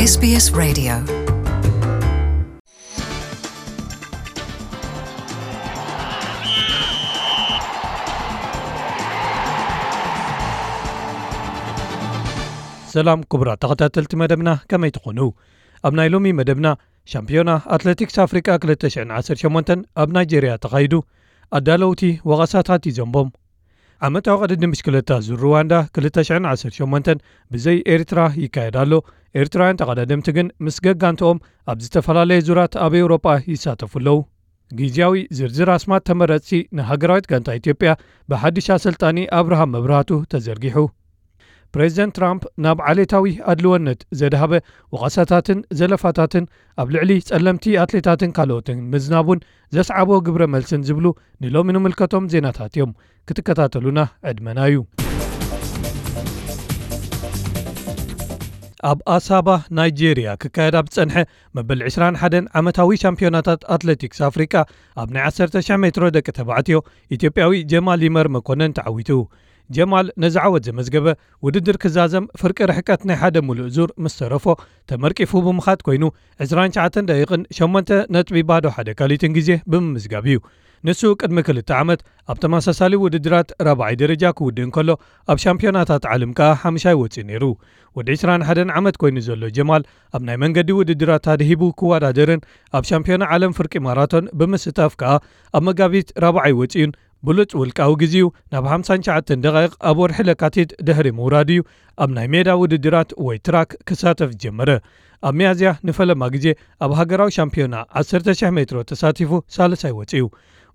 S B S Radio. ሰላም ክቡራት ተኸታተልቲ መደብና፣ ከመይ ትኾኑ? ኣብ ናይ ሎሚ መደብና፣ ሻምፒዮና ኣትሌቲክስ ኣፍሪቃ ክልተ ሽሕን ዓሰርተ ሸሞንተን ኣብ ናይጄርያ ተኻይዱ። ኣዳለውቲ ወቐሳታት ይዘንቦም። ዓመታዊ ቅድድም ብሽክለታ ዙር ሩዋንዳ ክልተ ሽሕን ዓሰርተ ሸሞንተን ብዘይ ኤርትራ ይካየድ ኣሎ። ኤርትራውያን ተቐዳደምቲ ግን ምስ ገጋንትኦም ኣብ ዝተፈላለየ ዙራት ኣብ ኤውሮጳ ይሳተፉ ኣለዉ። ግዝያዊ ዝርዝር ኣስማት ተመረጽቲ ንሃገራዊት ጋንታ ኢትዮጵያ ብሓድሽ ኣሰልጣኒ ኣብርሃም መብራህቱ ተዘርጊሑ። ፕሬዚደንት ትራምፕ ናብ ዓሌታዊ ኣድልወነት ዘድሃበ ወቐሳታትን ዘለፋታትን ኣብ ልዕሊ ጸለምቲ ኣትሌታትን ካልኦትን ምዝናቡን ዘስዓቦ ግብረ መልስን ዝብሉ ንሎሚ ንምልከቶም ዜናታት እዮም። ክትከታተሉና ዕድመና እዩ። ኣብ ኣሳባ ናይጄርያ ክካየድ ኣብ ዝጸንሐ መበል ዕስራን ሓደን ዓመታዊ ሻምፒዮናታት ኣትሌቲክስ ኣፍሪቃ ኣብ ናይ ዓሰርተ ሺሕ ሜትሮ ደቂ ተባዕትዮ ኢትዮጵያዊ ጀማል ይመር መኮነን ተዓዊቱ። ጀማል ነዚ ዓወት ዘመዝገበ ውድድር ክዛዘም ፍርቂ ርሕቀት ናይ ሓደ ሙሉእ ዙር ምስ ተረፎ ተመርቂፉ ብምኻድ ኮይኑ ዕስራን ትሽዓተን ደቂቕን ሸሞንተ ነጥቢ ባዶ ሓደ ካሊትን ግዜ ብምምዝጋብ እዩ። ንሱ ቅድሚ ክልተ ዓመት ኣብ ተመሳሳሊ ውድድራት ራብዓይ ደረጃ ክውድእ እንከሎ ኣብ ሻምፒዮናታት ዓለም ከኣ ሓምሻይ ወጺኡ ነይሩ። ወዲ ዕስራን ሓደን ዓመት ኮይኑ ዘሎ ጀማል ኣብ ናይ መንገዲ ውድድራት ኣድሂቡ ክወዳደርን ኣብ ሻምፒዮና ዓለም ፍርቂ ማራቶን ብምስታፍ ከኣ ኣብ መጋቢት ራብዓይ ወጺኡን ብሉጽ ውልቃዊ ግዜኡ ናብ ሓምሳን ትሽዓተን ደቓይቕ ኣብ ወርሒ ለካቲት ድሕሪ ምውራዱ እዩ ኣብ ናይ ሜዳ ውድድራት ወይ ትራክ ክሳተፍ ዝጀመረ። ኣብ ሚያዝያ ንፈለማ ግዜ ኣብ ሃገራዊ ሻምፒዮና ዓሰርተ ሺሕ ሜትሮ ተሳቲፉ ሳልሳይ ወጺኡ።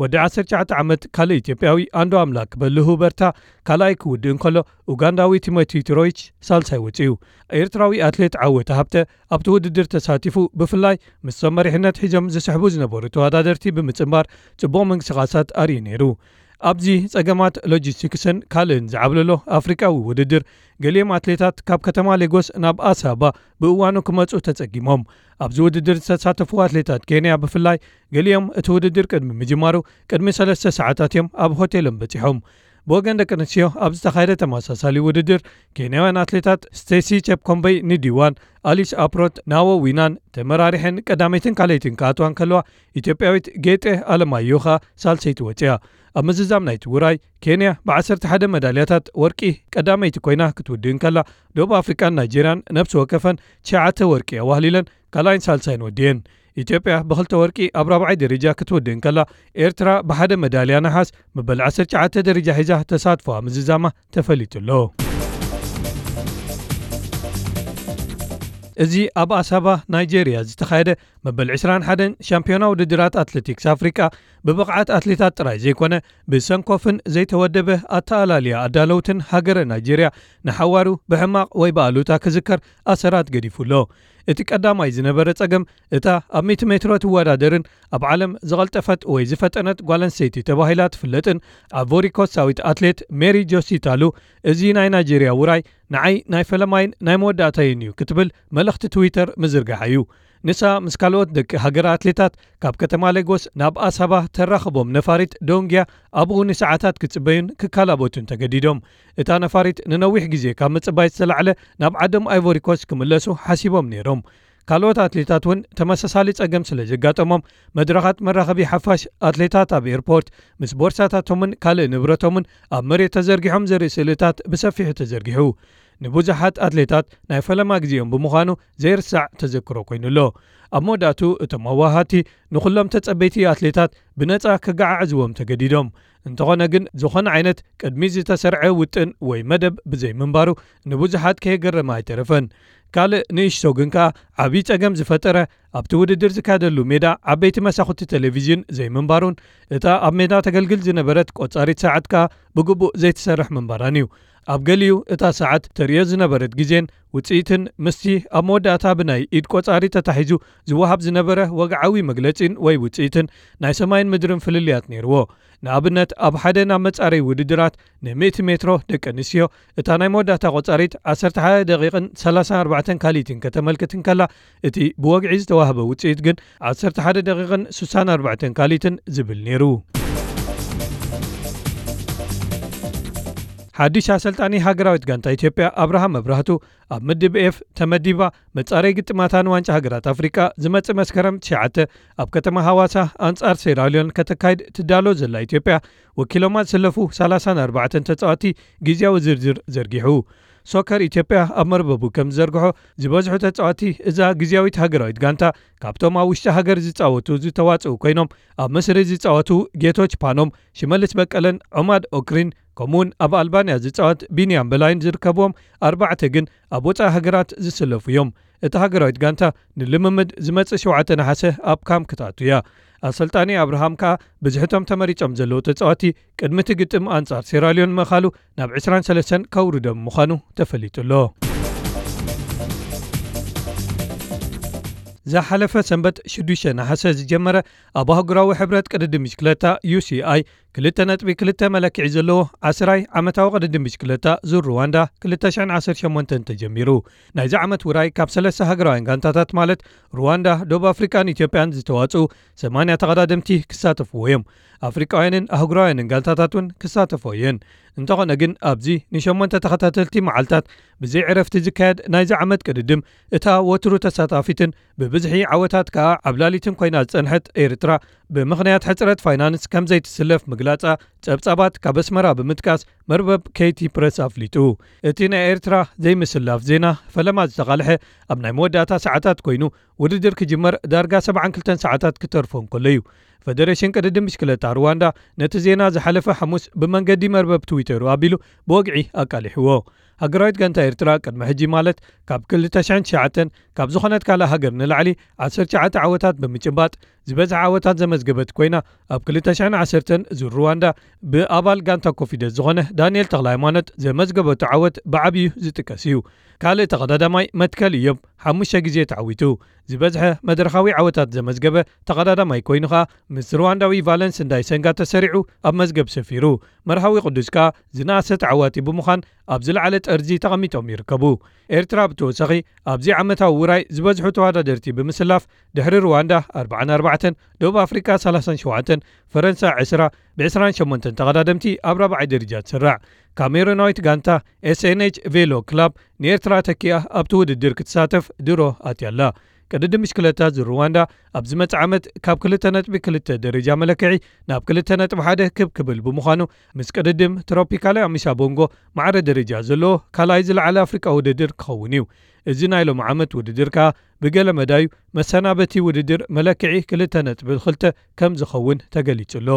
ወዲ ዓሰርተ ትሽዓተ ዓመት ካልእ ኢትዮጵያዊ ኣንዶ ኣምላክ በልሁ በርታ ካልኣይ ክውድእ እንከሎ ኡጋንዳዊ ቲሞቲ ትሮይች ሳልሳይ ወጺኡ። ኤርትራዊ ኣትሌት ዓወት ሃብተ ኣብቲ ውድድር ተሳቲፉ ብፍላይ ምስቶም መሪሕነት ሒዞም ዝስሕቡ ዝነበሩ ተወዳደርቲ ብምጽንባር ጽቡቕ ምንቅስቓሳት ኣርእዩ ነይሩ። ኣብዚ ጸገማት ሎጂስቲክስን ካልእን ዝዓብለሎ ኣፍሪቃዊ ውድድር ገሊኦም ኣትሌታት ካብ ከተማ ሌጎስ ናብ ኣሳባ ብእዋኑ ክመጹ ተጸጊሞም። ኣብዚ ውድድር ዝተሳተፉ ኣትሌታት ኬንያ ብፍላይ ገሊኦም እቲ ውድድር ቅድሚ ምጅማሩ ቅድሚ ሰለስተ ሰዓታት እዮም ኣብ ሆቴሎም በጺሖም። ብወገን ደቂ ኣንስትዮ ኣብ ዝተኻየደ ተመሳሳሊ ውድድር ኬንያውያን ኣትሌታት ስቴሲ ቸፕኮምበይ ንዲዋን፣ ኣሊስ ኣፕሮት ናዎ ዊናን ተመራሪሐን ቀዳመይትን ካልኣይትን ክኣትዋ እንከለዋ ኢትዮጵያዊት ጌጤ ኣለማየሁ ኸኣ ሳልሰይቲ ወጺኣ። ኣብ ምዝዛም ናይቲ ውራይ ኬንያ ብ ዓሰርተ ሓደ መዳልያታት ወርቂ ቀዳመይቲ ኮይና ክትውድእ እንከላ ደቡብ ኣፍሪቃን ናይጄርያን ነብሲ ወከፈን ትሽዓተ ወርቂ ኣዋህሊለን ካልኣይን ሳልሳይን ወዲየን። ኢትዮጵያ ብክልተ ወርቂ ኣብ ራብዓይ ደረጃ ክትውድእ እንከላ ኤርትራ ብሓደ መዳልያ ነሓስ መበል ዓሰርተ ትሽዓተ ደረጃ ሒዛ ተሳትፎኣ ምዝዛማ ተፈሊጡ ኣሎ። እዚ ኣብ ኣሳባ ናይጄርያ ዝተኻየደ መበል ዕስራን ሓደን ሻምፒዮና ውድድራት ኣትሌቲክስ ኣፍሪቃ ብብቕዓት ኣትሌታት ጥራይ ዘይኮነ ብሰንኮፍን ዘይተወደበ ኣተኣላልያ ኣዳለውትን ሃገረ ናይጄርያ ንሓዋሩ ብሕማቕ ወይ ብኣሉታ ክዝከር ኣሰራት ገዲፉ ኣሎ። እቲ ቀዳማይ ዝነበረ ጸገም እታ ኣብ ሚእቲ ሜትሮ ትወዳደርን ኣብ ዓለም ዝቐልጠፈት ወይ ዝፈጠነት ጓል ኣንስተይቲ ተባሂላ ትፍለጥን ኣቮሪኮስታዊት ኣትሌት ሜሪ ጆሲታሉ እዚ ናይ ናይጄርያ ውራይ ንዓይ ናይ ፈለማይን ናይ መወዳእታይን እዩ ክትብል መልእኽቲ ትዊተር ምዝርጋሓ እዩ። ንሳ ምስ ካልኦት ደቂ ሃገር ኣትሌታት ካብ ከተማ ሌጎስ ናብ ኣሳባ ተራኽቦም ነፋሪት ዶንግያ ኣብኡ ንሰዓታት ክጽበዩን ክካላበቱን ተገዲዶም። እታ ነፋሪት ንነዊሕ ግዜ ካብ ምጽባይ ዝተላዕለ ናብ ዓዶም ኣይቮሪኮስ ክምለሱ ሓሲቦም ነይሮም። ካልኦት ኣትሌታት እውን ተመሳሳሊ ጸገም ስለ ዘጋጠሞም መድረኻት መራኸቢ ሓፋሽ ኣትሌታት ኣብ ኤርፖርት ምስ ቦርሳታቶምን ካልእ ንብረቶምን ኣብ መሬት ተዘርጊሖም ዘርኢ ስእልታት ብሰፊሑ ተዘርጊሑ። ንብዙሓት ኣትሌታት ናይ ፈለማ ግዜኦም ብምዃኑ ዘይርሳዕ ተዘክሮ ኮይኑ ኣሎ። ኣብ መወዳእቱ እቶም ኣዋሃቲ ንኹሎም ተጸበይቲ ኣትሌታት ብነጻ ክገዓዕዝዎም ተገዲዶም። እንተኾነ ግን ዝኾነ ዓይነት ቅድሚ ዝተሰርዐ ውጥን ወይ መደብ ብዘይምንባሩ ንብዙሓት ከየገረመ ኣይተረፈን። ካልእ ንእሽቶ ግን ከኣ ዓብዪ ጸገም ዝፈጠረ ኣብቲ ውድድር ዝካየደሉ ሜዳ ዓበይቲ መሳኹቲ ቴሌቪዥን ዘይምንባሩን እታ ኣብ ሜዳ ተገልግል ዝነበረት ቆጻሪት ሰዓት ከኣ ብግቡእ ዘይትሰርሕ ምንባራን እዩ። ኣብ ገሊኡ እታ ሰዓት ተርእዮ ዝነበረት ግዜን ውጽኢትን ምስቲ ኣብ መወዳእታ ብናይ ኢድ ቆጻሪ ተታሒዙ ዝወሃብ ዝነበረ ወግዓዊ መግለጺን ወይ ውጽኢትን ናይ ሰማይን ምድርን ፍልልያት ነይርዎ። ንኣብነት ኣብ ሓደ ናብ መጻረይ ውድድራት ን100 ሜትሮ ደቂ ኣንስትዮ እታ ናይ መወዳእታ ቆጻሪት ዓሰርተ ሓደ ደቂቕን ሰላሳን ኣርባዕተን ካልኢትን ከተመልክት እንከላ እቲ ብወግዒ ዝተዋህበ ውጽኢት ግን ዓሰርተ ሓደ ደቂቕን ስሳን ኣርባዕተን ካልኢትን ዝብል ነይሩ። ሓድሽ ኣሰልጣኒ ሃገራዊት ጋንታ ኢትዮጵያ ኣብርሃም መብራህቱ ኣብ ምድብ ኤፍ ተመዲባ መጻረይ ግጥማታ ንዋንጫ ሃገራት ኣፍሪቃ ዝመጽእ መስከረም ትሽዓተ ኣብ ከተማ ሃዋሳ ኣንጻር ሴራልዮን ከተካይድ ትዳሎ ዘላ ኢትዮጵያ ወኪሎማ ዝሰለፉ ሰላሳን ኣርባዕተን ተጻዋቲ ግዝያዊ ዝርዝር ዘርጊሑ። ሶከር ኢትዮጵያ ኣብ መርበቡ ከም ዝዘርግሖ ዝበዝሑ ተጻዋቲ እዛ ግዝያዊት ሃገራዊት ጋንታ ካብቶም ኣብ ውሽጢ ሃገር ዝጻወቱ ዝተዋጽኡ ኮይኖም ኣብ ምስሪ ዝጻወቱ ጌቶች ፓኖም፣ ሽመልስ በቀለን ዖማድ ኦክሪን ከምኡውን ኣብ ኣልባንያ ዝጻወት ቢንያም በላይን ዝርከብዎም ኣርባዕተ ግን ኣብ ወጻኢ ሃገራት ዝስለፉ እዮም። እታ ሃገራዊት ጋንታ ንልምምድ ዝመጽእ ሸውዓተ ነሓሰ ኣብ ካም ክትኣቱ እያ። ኣሰልጣኒ ኣብርሃም ከኣ ብዝሕቶም ተመሪጾም ዘለዉ ተጻዋቲ ቅድሚ እቲ ግጥም ኣንጻር ሴራልዮን ምእኻሉ ናብ ዕስራን ሰለስተን ከውርዶም ምዃኑ ተፈሊጡ ኣሎ። ዝሓለፈ ሰንበት ሽዱሽተ ነሓሰ ዝጀመረ ኣብ ኣህጉራዊ ሕብረት ቅድድም ብሽክለታ ዩ ሲ ኣይ ክልተ ነጥቢ ክልተ መለክዒ ዘለዎ ዓስራይ ዓመታዊ ቅድድም ብሽክለታ ዙር ሩዋንዳ ክልተ ሽሕን ዓሰርተ ሸሞንተን ተጀሚሩ። ናይዚ ዓመት ውራይ ካብ ሰለስተ ሃገራውያን ጋንታታት ማለት ሩዋንዳ፣ ደቡብ ኣፍሪቃን ኢትዮጵያን ዝተዋጽኡ ሰማንያ ተቐዳደምቲ ክሳተፍዎ እዮም። ኣፍሪቃውያንን ኣህጉራውያንን ጋንታታት እውን ክሳተፎ እየን። እንተኾነ ግን ኣብዚ ንሸሞንተ ተኸታተልቲ መዓልታት ብዘይ ዕረፍቲ ዝካየድ ናይዚ ዓመት ቅድድም እታ ወትሩ ተሳታፊትን ብብዝሒ ዓወታት ከኣ ዓብላሊትን ኮይና ዝጸንሐት ኤርትራ ብምኽንያት ሕጽረት ፋይናንስ ከም ዘይትስለፍ ምግላጻ ጸብጻባት ካብ ኣስመራ ብምጥቃስ መርበብ ኬቲ ፕረስ ኣፍሊጡ። እቲ ናይ ኤርትራ ዘይምስላፍ ዜና ፈለማ ዝተቓልሐ ኣብ ናይ መወዳእታ ሰዓታት ኮይኑ ውድድር ክጅመር ዳርጋ ሰብዓን ክልተን ሰዓታት ክተርፎ እንከሎ እዩ። ፈደሬሽን ቅድድም ብሽክለታ ሩዋንዳ ነቲ ዜና ዝሓለፈ ሓሙስ ብመንገዲ መርበብ ትዊተሩ ኣቢሉ ብወግዒ ኣቃሊሕዎ። ሃገራዊት ጋንታ ኤርትራ ቅድሚ ሕጂ ማለት ካብ ክልተ ሽሕን ትሽዓተን ካብ ዝኾነት ካልእ ሃገር ንላዕሊ ዓሰርተ ትሽዓተ ዓወታት ብምጭባጥ ዝበዝሐ ዓወታት ዘመዝገበት ኮይና ኣብ ክልተ ሽሕን ዓሰርተን ዙር ሩዋንዳ ብኣባል ጋንታ ኮፊደስ ዝኾነ ዳንኤል ተኽለሃይማኖት ዘመዝገበቱ ዓወት ብዓብዩ ዝጥቀስ እዩ። ካልእ ተቐዳዳማይ መትከል እዮብ ሓሙሽተ ግዜ ተዓዊቱ ዝበዝሐ መድረኻዊ ዓወታት ዘመዝገበ ተቐዳዳማይ ኮይኑ ኸኣ ምስ ሩዋንዳዊ ቫለንስ እንዳይሰንጋ ተሰሪዑ ኣብ መዝገብ ሰፊሩ። መርሃዊ ቅዱስ ከኣ ዝነኣሰ ተዓዋቲ ብምዃን ኣብ ዝለዓለ ጠርዚ ተቐሚጦም ይርከቡ። ኤርትራ ብተወሳኺ ኣብዚ ዓመታዊ ውራይ ዝበዝሑ ተወዳደርቲ ብምስላፍ ድሕሪ ሩዋንዳ ኣርባዓን ኣርባዕተን፣ ደቡብ ኣፍሪቃ ሰላሳን ሸውዓተን፣ ፈረንሳ ዕስራ ብዕስራን ሸሞንተን ተቐዳደምቲ ኣብ ራብዓይ ደረጃ ትስራዕ። ካሜሩናዊት ጋንታ ኤስ ኤን ኤች ቬሎ ክላብ ንኤርትራ ተኪኣ ኣብቲ ውድድር ክትሳተፍ ድሮ ኣትያ ኣላ። ቅድድም ብሽክለታ ዙር ሩዋንዳ ኣብ ዝመጽእ ዓመት ካብ ክልተ ነጥቢ ክልተ ደረጃ መለክዒ ናብ ክልተ ነጥቢ ሓደ ክብ ክብል ብምዃኑ ምስ ቅድድም ትሮፒካሊ ኣሚሳ ቦንጎ ማዕረ ደረጃ ዘለዎ ካልኣይ ዝለዓለ ኣፍሪቃ ውድድር ክኸውን እዩ። እዚ ናይ ሎም ዓመት ውድድር ከኣ ብገለ መዳዩ መሰናበቲ ውድድር መለክዒ ክልተ ነጥቢ ክልተ ከም ዝኸውን ተገሊጹ ኣሎ።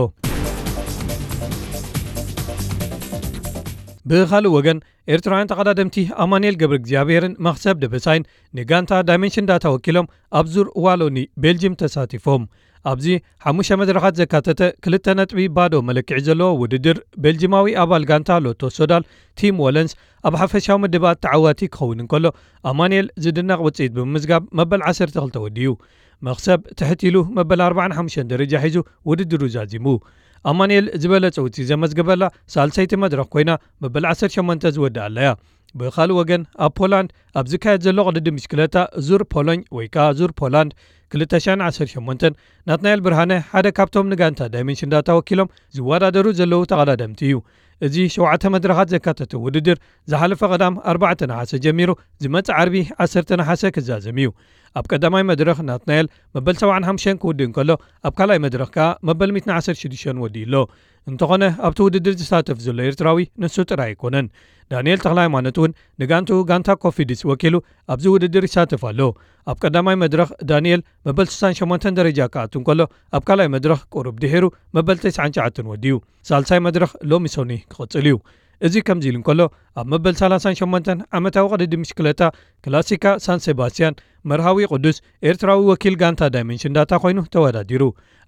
ብኻልእ ወገን ኤርትራውያን ተቐዳደምቲ ኣማኑኤል ገብረ እግዚኣብሔርን መኽሰብ ደበሳይን ንጋንታ ዳይመንሽን ዳታ ወኪሎም ኣብ ዙር ዋሎኒ ቤልጅም ተሳቲፎም። ኣብዚ ሓሙሽተ መድረኻት ዘካተተ ክልተ ነጥቢ ባዶ መለክዒ ዘለዎ ውድድር ቤልጅማዊ ኣባል ጋንታ ሎቶ ሶዳል ቲም ወለንስ ኣብ ሓፈሻዊ ምድባት ተዓዋቲ ክኸውን እንከሎ ኣማኑኤል ዝድነቕ ውፅኢት ብምምዝጋብ መበል ዓሰርተ ክልተ ወዲኡ። መኽሰብ ትሕት ኢሉ መበል ኣርባዓን ሓሙሽተን ደረጃ ሒዙ ውድድሩ ዛዚሙ። ኣማኑኤል ዝበለጸ ውፅኢት ዘመዝገበላ ሳልሰይቲ መድረኽ ኮይና መበል ዓሰርተ ሸሞንተ ዝወድኣላ እያ። ብኻልእ ወገን ኣብ ፖላንድ ኣብ ዝካየድ ዘሎ ቅድድም ብሽክለታ ዙር ፖሎኝ ወይ ከኣ ዙር ፖላንድ ክልተ ሽሕን ዓሰርተ ሸሞንተን ናትናኤል ብርሃነ ሓደ ካብቶም ንጋንታ ዳይመንሽን ዳታ ወኪሎም ዝወዳደሩ ዘለዉ ተቐዳደምቲ እዩ። እዚ ሸውዓተ መድረኻት ዘካተተ ውድድር ዝሓለፈ ቀዳም ኣርባዕተ ነሓሰ ጀሚሩ ዝመጽእ ዓርቢ ዓሰርተ ነሓሰ ክዛዘም እዩ። ኣብ ቀዳማይ መድረኽ ናትናኤል መበል ሰብዓን ሓሙሽተን ክውድእ እንከሎ ኣብ ካልኣይ መድረኽ ከኣ መበል ሚእትን ዓሰርተ ሽዱሽተን ወዲኡ ኣሎ። እንተኾነ ኣብቲ ውድድር ዝሳተፍ ዘሎ ኤርትራዊ ንሱ ጥራይ ኣይኮነን። ዳንኤል ተኽለሃይማኖት እውን ንጋንትኡ ጋንታ ኮፊድስ ወኪሉ ኣብዚ ውድድር ይሳተፍ ኣሎ። ኣብ ቀዳማይ መድረኽ ዳንኤል መበል ስሳን ሸሞንተን ደረጃ ክኣቱ እንከሎ ኣብ ካልኣይ መድረኽ ቁሩብ ድሒሩ መበል ተስዓን ትሽዓተን ወዲኡ። ሳልሳይ መድረኽ ሎሚ ሰኑይ ክቕጽል እዩ። እዚ ከምዚ ኢሉ እንከሎ ኣብ መበል ሰላሳን ሸሞንተን ዓመታዊ ቅድድም ብሽክለታ ክላሲካ ሳን ሴባስቲያን መርሃዊ ቅዱስ ኤርትራዊ ወኪል ጋንታ ዳይመንሽን ዳታ ኮይኑ ተወዳዲሩ።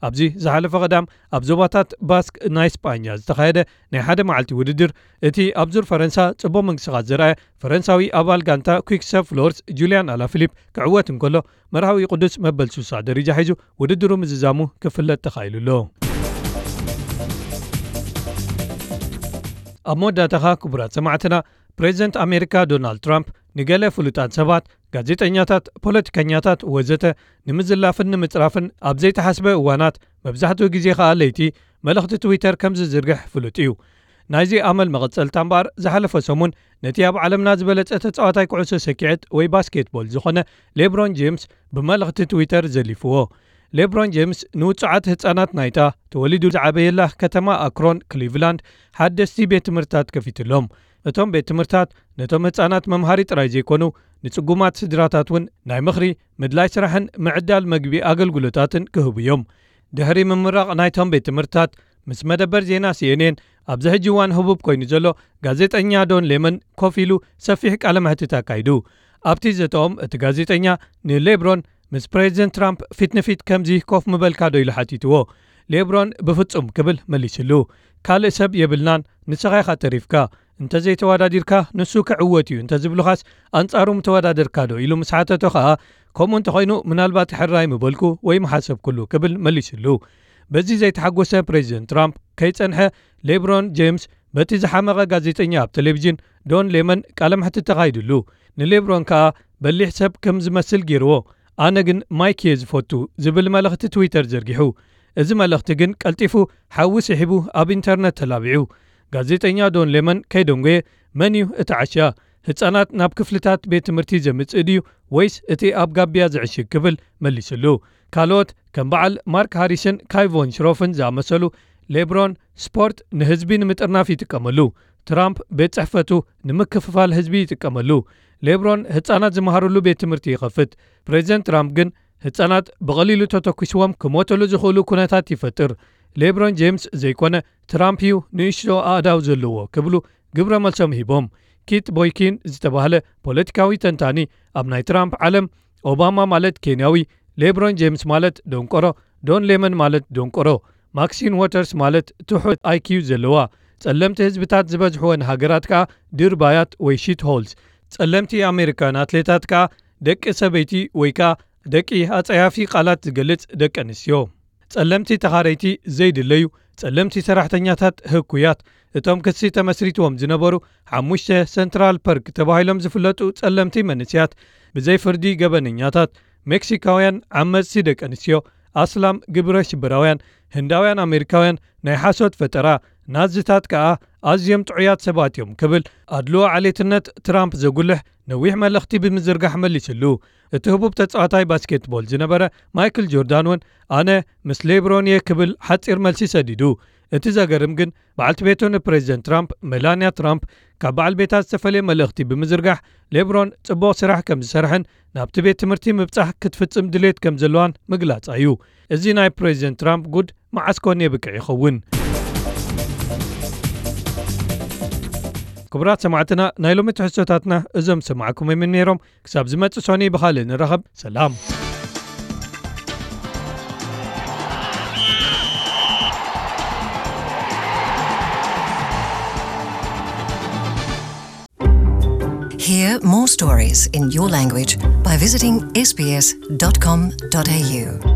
ኣብዚ ዝሓለፈ ቀዳም ኣብ ዞባታት ባስክ ናይ ስጳኛ ዝተኻየደ ናይ ሓደ መዓልቲ ውድድር እቲ ኣብ ዙር ፈረንሳ ጽቡቕ ምንቅስቓስ ዘርኣየ ፈረንሳዊ ኣባል ጋንታ quick step floors ጁልያን ኣላፊሊፕ ክዕወት እንከሎ መርሃዊ ቅዱስ መበል ስሳ ደረጃ ሒዙ ውድድሩ ምዝዛሙ ክፍለጥ ተኻኢሉ ኣሎ። ኣብ መወዳእታኻ ክቡራት ሰማዕትና ፕሬዚደንት ኣሜሪካ ዶናልድ ትራምፕ ንገለ ፍሉጣት ሰባት ጋዜጠኛታት ፖለቲከኛታት ወዘተ ንምዝላፍን ንምጽራፍን ኣብ ዘይተሓስበ እዋናት መብዛሕትኡ ግዜ ከኣ ለይቲ መልእኽቲ ትዊተር ከም ዝዝርግሕ ፍሉጥ እዩ። ናይዚ ኣመል መቐጸልታ እምበኣር፣ ዝሓለፈ ሰሙን ነቲ ኣብ ዓለምና ዝበለጸ ተጻዋታይ ኩዕሶ ሰኪዐት ወይ ባስኬትቦል ዝኾነ ሌብሮን ጄምስ ብመልእኽቲ ትዊተር ዘሊፍዎ። ሌብሮን ጄምስ ንውጹዓት ህጻናት ናይታ ተወሊዱ ዝዓበየላ ከተማ ኣክሮን፣ ክሊቭላንድ፣ ሓደስቲ ቤት ትምህርትታት ከፊትሎም። እቶም ቤት ትምህርትታት ነቶም ህጻናት መምሃሪ ጥራይ ዘይኮኑ፣ ንጽጉማት ስድራታት እውን ናይ ምኽሪ፣ ምድላይ ስራሕን ምዕዳል መግቢ ኣገልግሎታትን ክህቡ እዮም። ድሕሪ ምምራቕ ናይቶም ቤት ትምህርትታት፣ ምስ መደበር ዜና ሲኤንኤን ኣብዚ ሕጂ እዋን ህቡብ ኮይኑ ዘሎ ጋዜጠኛ ዶን ሌመን ኮፍ ኢሉ ሰፊሕ ቃለ መሕትት ኣካይዱ። ኣብቲ ዘተኦም፣ እቲ ጋዜጠኛ ንሌብሮን ምስ ፕሬዚደንት ትራምፕ ፊት ንፊት ከምዚ ኮፍ ምበልካ ዶ ኢሉ ሓቲትዎ። ሌብሮን ብፍጹም ክብል መሊስሉ። ካልእ ሰብ የብልናን፣ ንስኻ ኢኻ ተሪፍካ። እንተዘይተወዳዲርካ ንሱ ክዕወት እዩ እንተዝብሉኻስ ኣንጻሩ ምተወዳደርካ ዶ ኢሉ ምስ ሓተቶ ኸኣ፣ ከምኡ እንተኾይኑ ምናልባት ሕራይ ምበልኩ ወይ ምሓሰብኩሉ ክብል መሊስሉ። በዚ ዘይተሓጎሰ ፕሬዚደንት ትራምፕ ከይጸንሐ፣ ሌብሮን ጄምስ በቲ ዝሓመቐ ጋዜጠኛ ኣብ ቴሌቪዥን ዶን ሌመን ቃለ መሕትት ተኻይድሉ። ንሌብሮን ከኣ በሊሕ ሰብ ከም ዝመስል ገይርዎ። ኣነ ግን ማይክ እየ ዝፈቱ ዝብል መልእኽቲ ትዊተር ዘርጊሑ። እዚ መልእኽቲ ግን ቀልጢፉ ሓዊ ስሒቡ ኣብ ኢንተርነት ተላቢዑ። ጋዜጠኛ ዶን ሌመን ከይደንጎየ፣ መን እዩ እቲ ዓሻ? ህጻናት ናብ ክፍልታት ቤት ትምህርቲ ዘምጽእ ድዩ ወይስ እቲ ኣብ ጋቢያ ዝዕሽግ? ክብል መሊስሉ። ካልኦት ከም በዓል ማርክ ሃሪስን ካይቮን ሽሮፍን ዝኣመሰሉ፣ ሌብሮን ስፖርት ንህዝቢ ንምጥርናፍ ይጥቀመሉ፣ ትራምፕ ቤት ጽሕፈቱ ንምክፍፋል ህዝቢ ይጥቀመሉ። ሌብሮን ህጻናት ዝመሃርሉ ቤት ትምህርቲ ይኸፍት። ፕሬዚደንት ትራምፕ ግን ህጻናት ብቐሊሉ ተተኩስዎም ክሞተሉ ዝኽእሉ ኩነታት ይፈጥር። ሌብሮን ጄምስ ዘይኮነ ትራምፕ እዩ ንእሽቶ ኣእዳው ዘለዎ ክብሉ ግብረ መልሶም ሂቦም። ኪት ቦይኪን ዝተባህለ ፖለቲካዊ ተንታኒ፣ ኣብ ናይ ትራምፕ ዓለም ኦባማ ማለት ኬንያዊ፣ ሌብሮን ጄምስ ማለት ደንቆሮ፣ ዶን ሌመን ማለት ደንቆሮ፣ ማክሲን ዎተርስ ማለት ትሑት ኣይኪዩ ዘለዋ፣ ጸለምቲ ህዝብታት ዝበዝሕወን ሃገራት ከኣ ድርባያት ወይ ሺት ሆልስ፣ ጸለምቲ ኣሜሪካውያን ኣትሌታት ከኣ ደቂ ሰበይቲ ወይ ከኣ ደቂ ኣጸያፊ ቃላት ዝገልጽ ደቂ ኣንስትዮ። ጸለምቲ ተኻረይቲ ዘይድለዩ፣ ጸለምቲ ሰራሕተኛታት ህኩያት። እቶም ክሲ ተመስሪትዎም ዝነበሩ ሓሙሽተ ሰንትራል ፐርክ ተባሂሎም ዝፍለጡ ጸለምቲ መንእስያት፣ ብዘይ ፍርዲ ገበነኛታት፣ ሜክሲካውያን ዓመጽቲ ደቂ ኣንስትዮ፣ ኣስላም ግብረ ሽበራውያን፣ ህንዳውያን ኣሜሪካውያን፣ ናይ ሓሶት ፈጠራ፣ ናዝታት ከኣ ኣዝዮም ጥዑያት ሰባት እዮም ክብል ኣድልዎ ዓሌትነት ትራምፕ ዘጉልሕ ነዊሕ መልእኽቲ ብምዝርጋሕ መሊስሉ። እቲ ህቡብ ተጻዋታይ ባስኬትቦል ዝነበረ ማይክል ጆርዳን እውን፣ ኣነ ምስ ሌብሮን እየ ክብል ሓጺር መልሲ ሰዲዱ። እቲ ዘገርም ግን፣ በዓልቲ ቤቱ ንፕሬዚደንት ትራምፕ፣ ሜላንያ ትራምፕ፣ ካብ በዓል ቤታ ዝተፈለየ መልእኽቲ ብምዝርጋሕ፣ ሌብሮን ጽቡቕ ስራሕ ከም ዝሰርሐን ናብቲ ቤት ትምህርቲ ምብጻሕ ክትፍጽም ድሌት ከም ዘለዋን ምግላጻ እዩ። እዚ ናይ ፕሬዚደንት ትራምፕ ጉድ መዓስ ኮን የብቅዕ ይኸውን? ክቡራት ሰማዕትና፣ ናይ ሎሚ ትሕዝቶታትና እዞም ሰማዕኩም እዮም ነይሮም። ክሳብ ዝመጽእ ሶኒ ብኻልእ ንራኸብ። ሰላም። Hear more stories in your language by visiting S B S dot com dot A U.